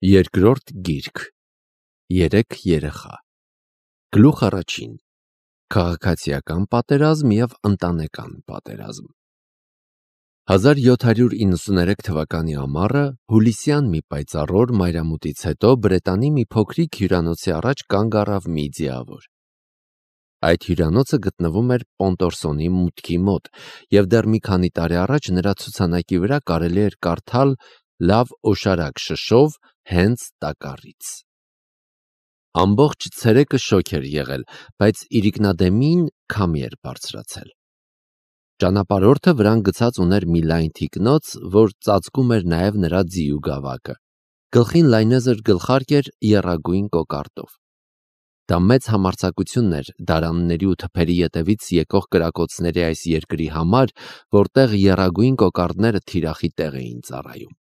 Երկրորդ գիրք, երեք երեխա, գլուխ առաջին, քաղաքացիական պատերազմ և ընտանեկան պատերազմ։ 1793 թվականի ամառը հուլիսյան մի պայծառ օր մայրամուտից հետո Բրետանի մի փոքրիկ հյուրանոցի առաջ կանգ առավ մի ձիավոր։ Այդ հյուրանոցը գտնվում էր Պոնտորսոնի մուտքի մոտ, և դեռ մի քանի տարի առաջ նրա ցուցանակի վրա կարելի էր կարդալ «Լավ օշարակ շշով հենց տակառից»։ Ամբողջ ցերեկը շոգ էր եղել, բայց իրիկնադեմին քամի էր բարձրացել։ Ճանապարհորդը վրան գցած ուներ մի լայն թիկնոց, որ ծածկում էր նաև նրա ձիու գավակը։ Գլխին լայնեզր գլխարկ էր եռագույն կոկարդով։ Դա մեծ համարձակություն էր դարանների ու թփերի ետևից եկող կրակոցների այս երկրի համար, որտեղ եռագույն կոկարդները թիրախի տեղ էին ծառայում։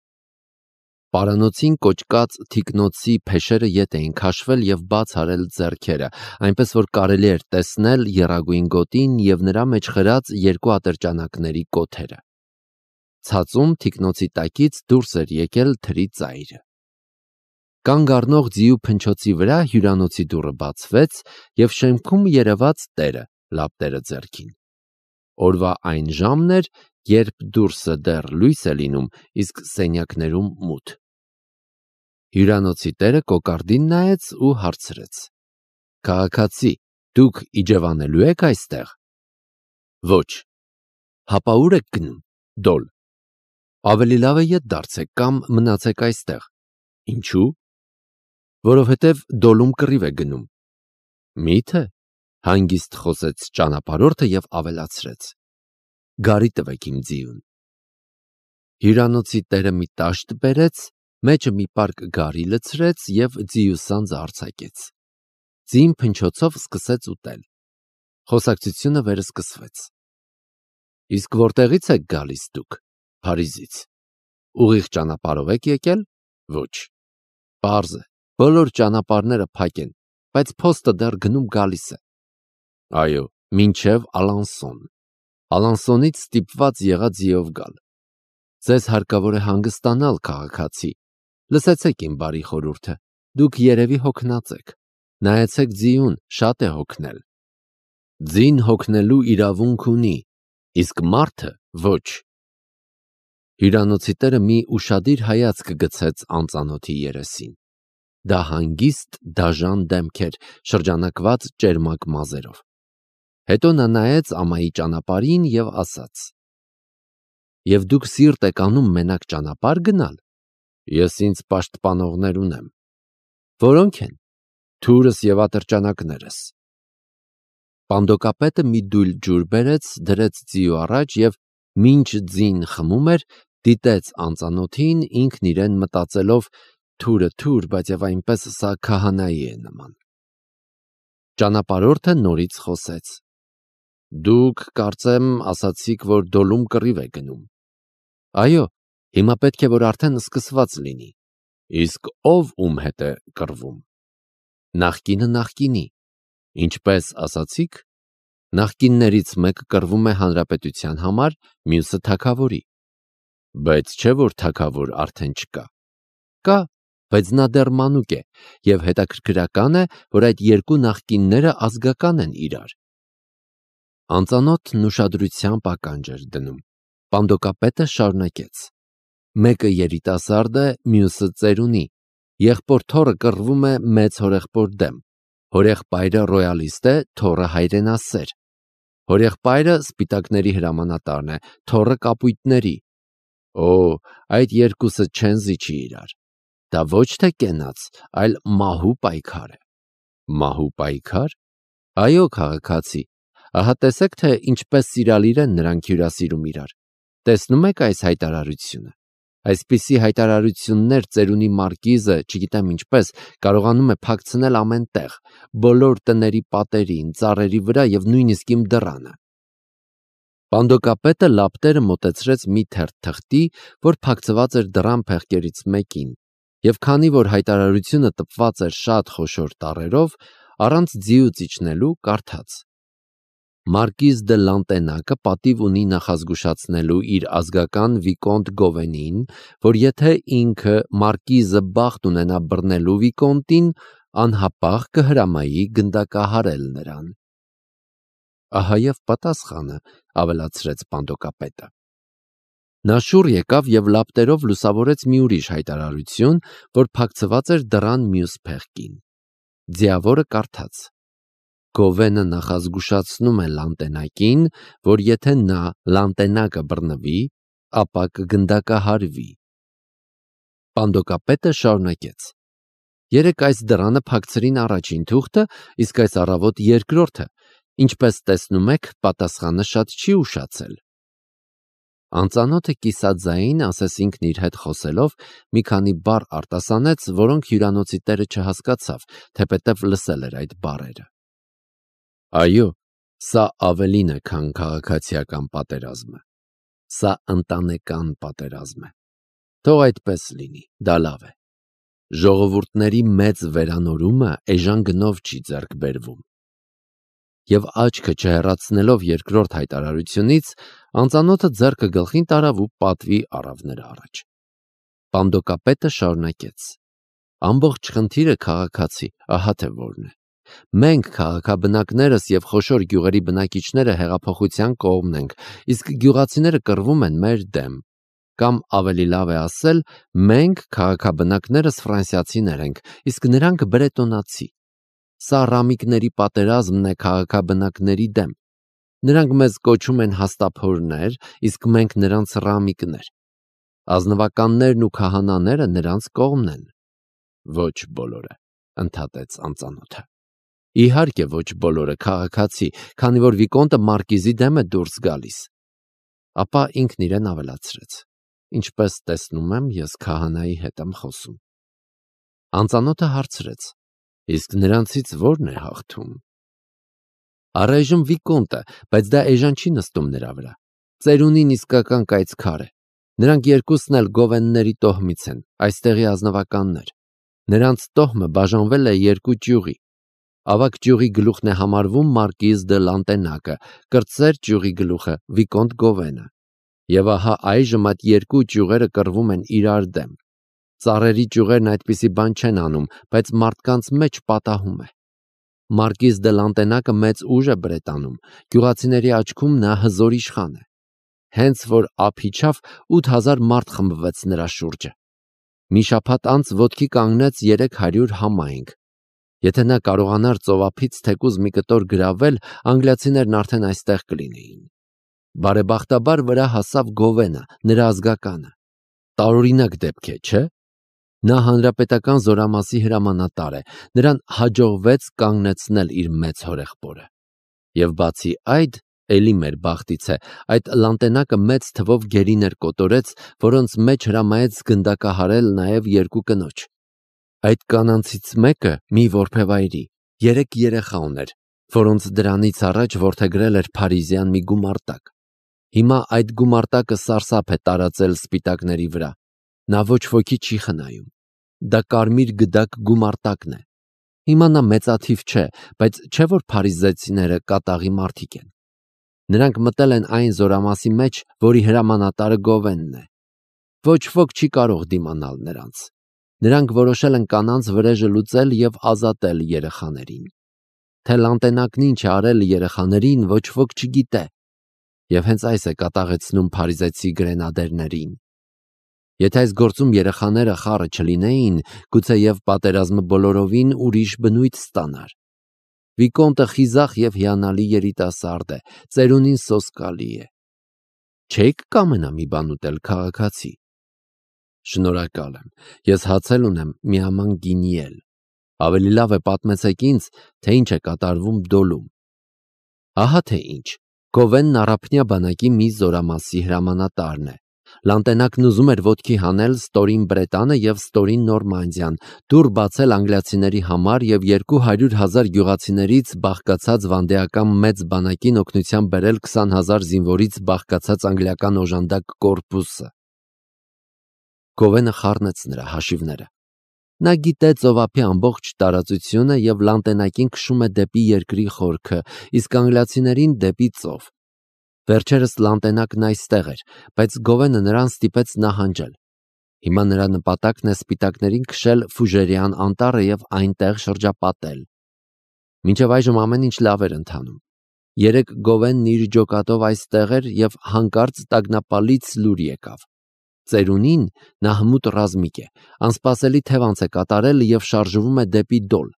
Պարանոցին կոճկած թիկնոցի փեշերը ետ էին քաշվել և բաց արել ձեռքերը, այնպես որ կարելի էր տեսնել եռագույն գոտին և նրա մեջ խրած երկու ատրճանակների կոթերը։ Ցածում թիկնոցի տակից դուրս էր եկել թրի ծայրը։ Կանգ առնող ձիու փնչոցի վրա հյուրանոցի դուռը բացվեց, և շեմքում երևաց տերը լապտերը ձեռքին։ Օրվա այն ժամն էր, երբ դուրսը դեռ լույս է լինում, իսկ սենյակներում մութ։ Հյուրանոցի տերը կոկարդին նայեց ու հարցրեց. «Քաղաքացի, դուք իջևանելու եք այստեղ»։ «Ոչ»։ «Հապա ուր եք գնում»։ «Դոլ»։ «Ավելի լավ է ետ դարձեք կամ մնացեք այստեղ»։ «Ինչու»։ «Որովհետև Դոլում կռիվ է գնում»։ «Մի՞թե», հանգիստ խոսեց ճանապարհորդը և ավելացրեց. «Գարի տվեք իմ ձիուն»։ Հյուրանոցի տերը մի տաշտ բերեց, մեջը մի պարկ գարի լցրեց և ձիու սանձը արձակեց։ Ձին փնչոցով սկսեց ուտել։ Խոսակցությունը վերսկսվեց։ «Իսկ որտեղից եք գալիս դուք»։ «Փարիզից»։ «Ուղիղ ճանապարհով եք եկել»։ «Ոչ»։ «Պարզ է, բոլոր ճանապարհները փակ են, բայց փոստը դեռ գնում-գալիս է»։ «Այո, մինչև Ալանսոն։ Ալանսոնից ստիպված եղա ձիով գալ»։ «Ձեզ հարկավոր է հանգստանալ, քաղաքացի։ Լսեցեք իմ բարի խորհուրդը, դուք երևի հոգնած եք։ Նայեցեք ձիուն, շատ է հոգնել»։ «Ձին հոգնելու իրավունք ունի, իսկ մարդը ոչ»։ Հյուրանոցի տերը մի ուշադիր հայացք գցեց անծանոթի երեսին։ Դա հանգիստ դաժան դեմք էր, շրջանակված ճերմակ մազերով։ Հետո նա նայեց ամայի ճանապարհին և ասաց. «Եվ դուք սիրտ եք անում մենակ ճանապարհ գնալ»։ «Ես ինձ պաշտպանողներ ունեմ»։ «Որո՞նք են»։ «Թուրս և ատրճանակներս»։ Պանդոկապետը մի դույլ ջուր բերեց, դրեց ձիու առաջ և, մինչ ձին խմում էր, դիտեց անծանոթին, ինքն իրեն մտածելով. «Թուրը թուր, բայց և այնպես սա քահանայի է նման»։ Ճանապարհորդը նորից խոսեց. «Դուք, կարծեմ, ասացիք, որ Դոլում կռիվ է գնում»։ «Այո, հիմա պետք է որ արդեն սկսված լինի»։ «Իսկ ով ում հետ է կռվում»։ «Նախկինը նախկինի»։ «Ինչպես ասացիք»։ «Նախկիններից մեկը կռվում է հանրապետության համար, մյուսը թագավորի»։ «Բայց չէ՞ որ թագավոր արդեն չկա»։ «Կա, բայց նա դեռ մանուկ է, և հետաքրքրական է, որ այդ երկու նախկինները ազգական են իրար»։ Անծանոթն ուշադրությամբ ականջ էր դնում։ Պանդոկապետը շարունակեց. «Մեկը երիտասարդ է, մյուսը ծերունի։ Եղբոր-թոռը կռվում է մեծ հորեղբոր դեմ։ Հորեղբայրը ռոյալիստ է, թոռը հայրենասեր։ Հորեղբայրը սպիտակների հրամանատարն է, թոռը կապույտների։ Օ, այդ երկուսը չեն զիջի իրար։ Դա ոչ թե կենաց, այլ մահու պայքար է»։ «Մահու պայքա՞ր»։ «Այո, քաղաքացի, ահա տեսեք, թե ինչպես սիրալիր են նրանք հյուրասիրում իրար։ Տեսնում եք այս հայտարարությունը։ Այսպիսի հայտարարություններ ծերունի մարկիզը, չգիտեմ ինչպես, կարողանում է փակցնել ամեն տեղ, բոլոր տների պատերին, ծառերի վրա և նույնիսկ իմ դռանը»։ Պանդոկապետը լապտերը մոտեցրեց մի թերթ թղթի, որ փակցված էր դռան փեղկերից մեկին, և քանի որ հայտարարությունը տպված էր շատ խոշոր տառերով, առանց ձիուց իջնելու կարդաց. Մարկիզ դե Լանտենակը պատիվ ունի նախազգուշացնելու իր ազգական Վիկոնտ Գովենին, որ եթե ինքը Մարկիզը բախտ ունենա բռնելու Վիկոնտին, անհապաղ կհրամայի գնդակահարել նրան։ Ահա և պատասխանը, ավելացրեց Պանդոկապետը։ Նա շուռ եկավ և լապտերով լուսավորեց մի ուրիշ հայտարարություն, որ փակցված էր դռան մյուս փեղկին։ Ձիավորը կարդաց. Գովենը նախազգուշացնում է Լանտենակին, որ եթե նա Լանտենակը բռնվի, ապա կգնդակահարվի։ Պանդոկապետը շարունակեց. Երեկ այս դռանը փակցրին առաջին թուղթը, իսկ այս առավոտ երկրորդը, ինչպես տեսնում եք, պատասխանը շատ չի ուշացել։ Անծանոթը կիսաձայն, ասես ինքն իր հետ խոսելով, մի քանի բառ արտասանեց, որոնք հյուրանոցի տերը չհասկացավ, թեպետև լսել էր այդ բառերը։ Այո, սա ավելին է, քան քաղաքացիական պատերազմը։ Սա ընտանեկան պատերազմ է։ Թող այդպես լինի, դա լավ է։ Ժողովուրդների մեծ վերանորումը էժան գնով չի ձեռք բերվում։ Եվ աչքը չհեռացնելով երկրորդ հայտարարությունից, անծանոթը ձեռքը գլխին տարավ ու պատվի առավ նրա առաջ։ Պանդոկապետը շարունակեց. Ամբողջ խնդիրը քաղաքացի, ահա թե որն է։ Մենք քաղաքաբնակներս և խոշոր գյուղերի բնակիչները հեղափոխության կողմն ենք, իսկ գյուղացիները կռվում են մեր դեմ։ Կամ ավելի լավ է ասել, մենք քաղաքաբնակներս ֆրանսիացիներ ենք, իսկ նրանք բրետոնացի։ Սա ռամիկների պատերազմն է քաղաքաբնակների դեմ։ Նրանք մեզ կոչում են հաստափորներ, իսկ մենք նրանց ռամիկներ։ Ազնվականներն ու քահանաները նրանց կողմն են։ Ոչ բոլորը, ընդհատեց անծանոթը։ Իհարկե ոչ բոլորը, քաղաքացի, քանի որ Վիկոնտը Մարկիզի դեմ է դուրս գալիս։ Ապա ինքն իրեն ավելացրեց. Ինչպես տեսնում եմ, ես քահանայի հետ եմ խոսում։ Անծանոթը հարցրեց. Իսկ նրանցից ո՞րն է հաղթում։ Առայժմ Վիկոնտը, բայց դա էժան չի նստում նրա վրա։ Ծերունին իսկական կայծքար է։ Նրանք երկուսն էլ Գովենների տոհմից են, այստեղի ազնվականներ։ Նրանց տոհմը բաժանվել է երկու ճյուղի։ Ավագ ճյուղի գլուխն է համարվում Մարկիզ դե Լանտենակը, կրտսեր ճյուղի գլուխը Վիկոնտ Գովենը։ Եվ ահա այժմ այդ երկու ճյուղերը կռվում են իրար դեմ։ Ծառերի ճյուղերն այդպիսի բան չեն անում, բայց մարդկանց մեջ պատահում է։ Մարկիզ դե Լանտենակը մեծ ուժ է Բրետանում, գյուղացիների աչքում նա հզոր իշխան է։ Հենց որ ափ իջավ, 8000 մարդ խմբվեց նրա շուրջը։ Մի շաբաթ անց ոտքի կանգնեց 300 համայնք։ Եթե նա կարողանար ծովափից թեկուզ մի կտոր գրավել, անգլիացիներն արդեն այստեղ կլինեին։ Բարեբախտաբար վրա հասավ Գովենը, նրա ազգականը։ Տարօրինակ դեպք է, չէ՞։ Նա հանրապետական զորամասի հրամանատար է, նրան հաջողվեց կանգնեցնել իր մեծ հորեղբորը։ Եվ բացի այդ, էլի մեր բախտից է, այդ Լանտենակը մեծ թվով գերիներ կոտորեց, որոնց մեջ հրամայեց գնդակահարել նաև երկու կնոջ։ Այդ կանանցից մեկը մի որբևայրի, 3 երեխա ուներ, որոնց դրանից առաջ որդեգրել էր փարիզյան մի գումարտակ։ Հիմա այդ գումարտակը սարսափ է տարածել սպիտակների վրա։ Նա ոչ ոքի չի խնայում։ Դա կարմիր գդակ գումարտակն է։ Հիմա նա մեծաթիվ չէ, բայց չէ որ փարիզեցիները կատաղի մարդիկ են։ Նրանք մտել են այն զորամասի մեջ, որի հրամանատարը Գովենն է։ Ոչ ոք չի կարող դիմանալ նրանց։ Նրանք որոշել են կանանց վրեժը լուծել և ազատել երեխաներին։ Թե Լանտենակն ինչ է արել երեխաներին, ոչ ոք չգիտե։ Եվ հենց այս է կատաղեցնում փարիզեցի գրենադերներին։ Եթե այս գործում երեխաները խառը չլինեին, գուցե և պատերազմը բոլորովին ուրիշ բնույթ ստանար։ Վիկոնտը խիզախ և հիանալի երիտասարդ է, ծերունին սոսկալի է։ Չե՞ք կամենա մի բան ուտել, քաղաքացի։ Շնորհակալ եմ, ես հացել ունեմ միաման գինի էլ։ Ավելի լավ է պատմեցեք ինձ, թե ինչ է կատարվում Դոլում։ Ահա թե ինչ, Գովենն առափնյա բանակի մի զորամասի հրամանատարն է։ Լանտենակն ուզում էր ոտքի հանել ստորին Բրետանը և ստորին Նորմանդիան, դուռ բացել անգլիացիների համար և 200,000 գյուղացիներից բաղկացած վանդեական մեծ բանակին օգնության բերել 20,000 զինվորից բաղկացած անգլիական օժանդակ կորպուսը։ Գովենը խառնեց նրա հաշիվները։ Նա գիտե ծովափի ամբողջ տարածությունը և լանտենակին քշում է դեպի երկրի խորքը, իսկ անգլիացիներին դեպի ծով։ Վերջերս լանտենակն այստեղ էր, բայց Գովենը նրան ստիպեց նահանջել։ Հիմա նրա նպատակն է սպիտակներին քշել Ֆուժերյան անտառը և այնտեղ շրջապատել։ Մինչև այժմ ամեն ինչ լավ էր ընթանում։ Երեկ Գովենն իր ջոկատով այստեղ էր և հանկարծ տագնապալից լուր եկավ։ Ծերունին նա հմուտ ռազմիկ է, անսպասելի թևանց է կատարել և շարժվում է դեպի Դոլ։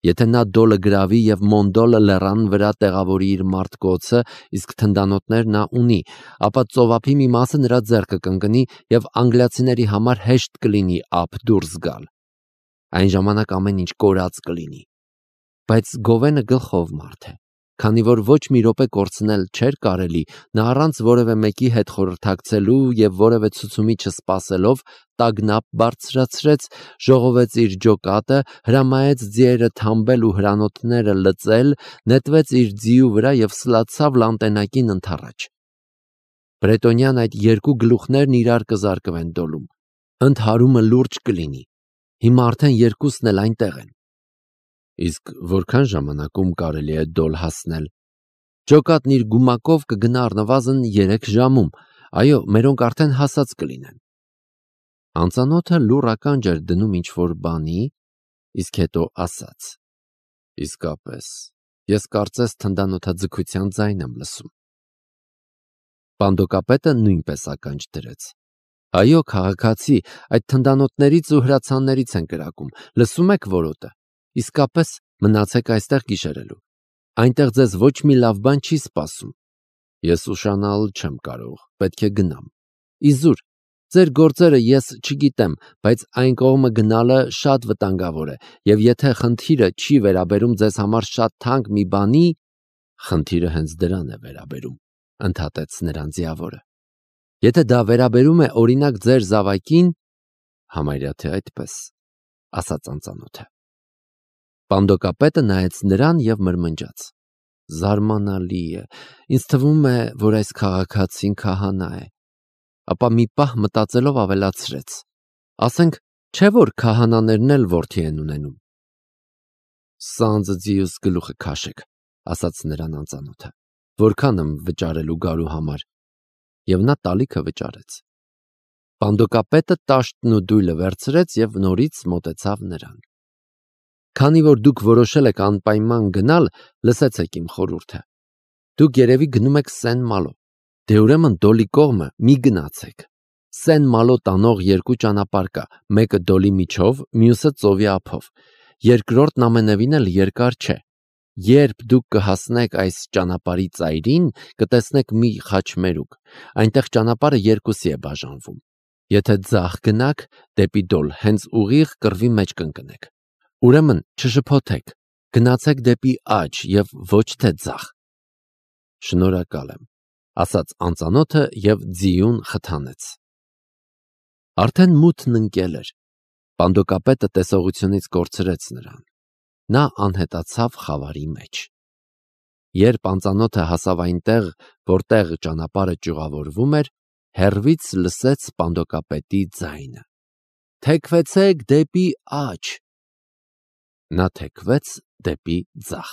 Եթե նա Դոլը գրավի և Մոնդոլը լեռան վրա տեղավորի իր մարտկոցը, իսկ թնդանոթներ նա ունի, ապա ծովափի մի մասը նրա ձեռքը կընկնի և անգլիացիների համար հեշտ կլինի ափ դուրս գալ։ Այն ժամանակ ամեն ինչ կորած կլինի։ Բայց Գովենը գլխով մարդ է, քանի որ ոչ մի րոպե կորցնել չէր կարելի, նա առանց որևէ մեկի հետ խորհրդակցելու և որևէ ցուցումի չսպասելով տագնապ բարձրացրեց, ժողովեց իր ջոկատը, հրամայեց ձիերը թամբել ու հրանոթները լծել, նետվեց իր ձիու վրա և սլացավ լանտենակին ընդառաջ։ Բրետոնյան այդ երկու գլուխներն իրար կզարկվեն Դոլում։ Ընդհարումը լուրջ կլինի։ Հիմա արդեն երկուսն էլ այնտեղ են։ Իսկ որքան ժամանակում կարելի է Դոլ հասնել։ Ջոկատն իր գումակով կգնա առնվազն 3 ժամում, այո, մերոնք արդեն հասած կլինեն։ Անծանոթը լուռ ականջ էր դնում ինչ-որ բանի, իսկ հետո ասաց. Իսկապես, ես կարծես թնդանոթաձգության ձայն եմ լսում։ Պանդոկապետը նույնպես ականջ դրեց։ Այո, քաղաքացի, այդ թնդանոթներից ու հրացաններից են կրակում, լսում եք որոտը։ Իսկապես, մնացեք այստեղ գիշերելու։ Այնտեղ ձեզ ոչ մի լավ բան չի սպասում։ Ես ուշանալ չեմ կարող, պետք է գնամ։ Իզուր, ձեր գործերը ես չգիտեմ, բայց այն կողմը գնալը շատ վտանգավոր է, և եթե խնդիրը չի վերաբերում ձեզ համար շատ թանկ մի բանի, խնդիրը հենց դրան է վերաբերում, ընդհատեց նրան ձիավորը։ Եթե դա վերաբերում է օրինակ ձեր զավակին, համարյա թե այդպես, ասաց անծանոթը։ Պանդոկապետը նայեց նրան և մրմնջաց. Զարմանալի է, ինձ թվում է, որ այս քաղաքացին քահանա է։ Ապա մի պահ մտածելով ավելացրեց. ասենք, չէ՞ որ քահանաներն էլ որդի են ունենում։ Սանձը ձիուս գլուխը քաշեք, ասաց նրան անծանոթը, որքան եմ վճարելու գարու համար, և նա տալիքը վճարեց։ Պանդոկապետը տաշտն ու դույլը վերցրեց և նորից մոտեցավ նրան։ Քանի որ դուք որոշել եք անպայման գնալ, լսեցեք իմ խորհուրդը։ Դուք երևի գնում եք Սեն-Մալո։ Դե ուրեմն Դոլի կողմը մի գնացեք։ Սեն-Մալո տանող 2 ճանապարհ կա, մեկը Դոլի միջով, մյուսը ծովի ափով։ Երկրորդն ամենևին էլ երկար չէ։ Երբ դուք կհասնեք այս ճանապարհի ծայրին, կտեսնեք մի խաչմերուկ։ Այնտեղ ճանապարհը երկուսի է բաժանվում։ Եթե ձախ գնաք, դեպի Դոլ, հենց ուղիղ կռվի մեջ կընկնեք։ Ուրեմն չշփոթեք, գնացեք դեպի աջ և ոչ թե ձախ։ Շնորհակալ եմ, ասաց անծանոթը և ձիուն խթանեց։ Արդեն մութն ընկել էր։ Պանդոկապետը տեսողությունից կորցրեց նրան։ Նա անհետացավ խավարի մեջ։ Երբ անծանոթը հասավ այնտեղ, որտեղ ճանապարհը ճյուղավորվում էր, հեռվից լսեց պանդոկապետի ձայնը. Թեքվեցեք դեպի աջ։ Նա թեքվեց դեպի ձախ։